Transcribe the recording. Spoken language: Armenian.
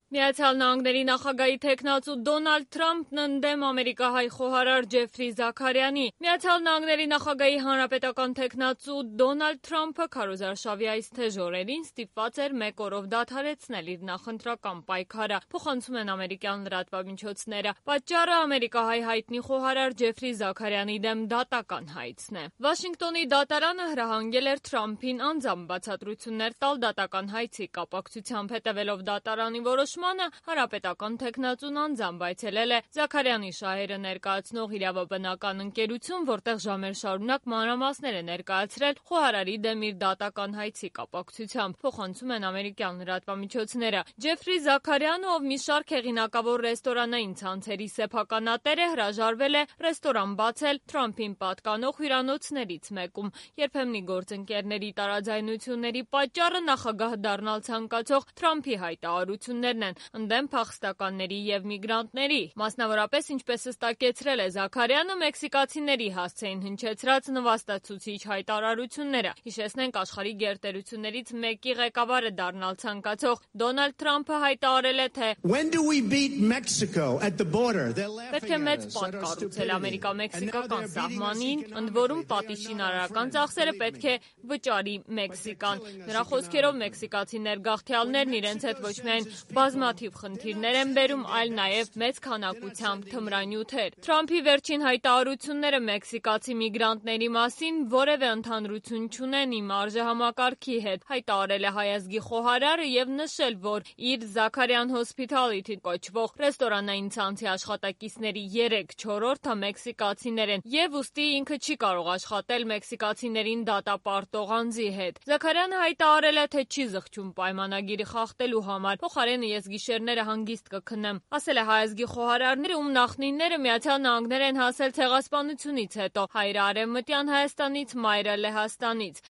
Միացյալ Նահանգների նախագահի թեկնածու Դոնալդ Թրամփն ընդդեմ ամերիկահայ խոհարար Ջեֆրի Զաքարյանի։ Միացյալ Նահանգների նախագահի հանրապետական թեկնածու Դոնալդ Թրամփը քարոզարշավի այս թեժ օրերին ստիպված էր մեկ օրով դադարեցնել իր նախընտրական պայքարը, փոխանցում են ամերիկյան լրատվամիջոցները։ Պատճառը ամերիկահայ հայտնի խոհարար Ջեֆրի Զաքարյանի դեմ դատական հայցն է։ Վաշինգտոնի դատարանը հրահանգել էր Թրամփին անձամբ բացատրություններ տալ դատական հայցի կապակցությամբ, հետևելով դատարանի որոշմանը, հանրապետական թեկնածուն անձամբ այցելել է Զաքարյանի շահերը ներկայացնող իրավաբանական ընկերություն, որտեղ ժամեր շարունակ մանրամասներ է ներկայացրել խոհարարի դեմ իր դատական հայցի կապակցությամբ, փոխանցում են ամերիկյան լրատվամիջոցները։ Ջեֆրի Զաքարյանը, ով մի շարք հեղինակավոր ռեստորանային ցանցերի սեփականատեր է, հրաժարվել է ռեստորան բացել Թրամփին պատկանող հյուրանոցներից մեկում։ Երբեմնի գործընկերների տարաձայնությունների պատճառը նախագահ դառնալ ցանկացող Թրամփի հայտարարություններն են ընդդեմ փախստականների և միգրանտների։ Մասնավորապես, ինչպես հստակեցրել է Զաքարյանը, մեքսիկացիների հասցեին հնչեցրած նվաստացուցիչ հայտարարությունները։ Հիշեցնենք, աշխարհի գերտերություններից մեկի ղեկավարը դառնալ ցանկացող Դոնալդ Թրամփը հայտարարել է, թե պետք է մեծ պատ կառուցել Ամերիկա-մեքսիկական սահմանին, ընդ որում պատիժշինարարական ծախսերը պետք է վճարի Մեքսիկան։ Նրա խոսքերով, մեքսիկացի ներգաղթյալներն իրենց հետ ոչ միայն բազմաթիվ խնդիրներ են բերում, այլ նաև մեծ քանակությամբ թմրանյութեր։ Թրամփի վերջին հայտարարությունները մեքսիկացի միգրանտների մասին որևէ ընդհանրություն չունեն իմ արժեհամակարգի հետ, հայտարարել է հայ ազգի խոհարարը և նշել, որ իր Զաքարյան Հոսփիթալիթի կոչվող ռեստորանային ցանցի աշխատակիցների 3/4-ը մեքսիկացիներ են և ուստի ինքը չի կարող աշխատել մեքսիկացիներին դատապարտող անձի հետ։ Զաքարյանը հայտարարել է, թե չի զղջում պայմանագիրը խախտելու համար, փոխարենը ես գիշերները հանգիստ կքնեմ։ Ասել է հայ ազգի խոհարարները, ում նախնիները Միացյալ Նահանգներ են հասել ցեղասպանությունից հետո, հայրը Արևմտյան Հայաստանից, մայրը Լեհաստանից։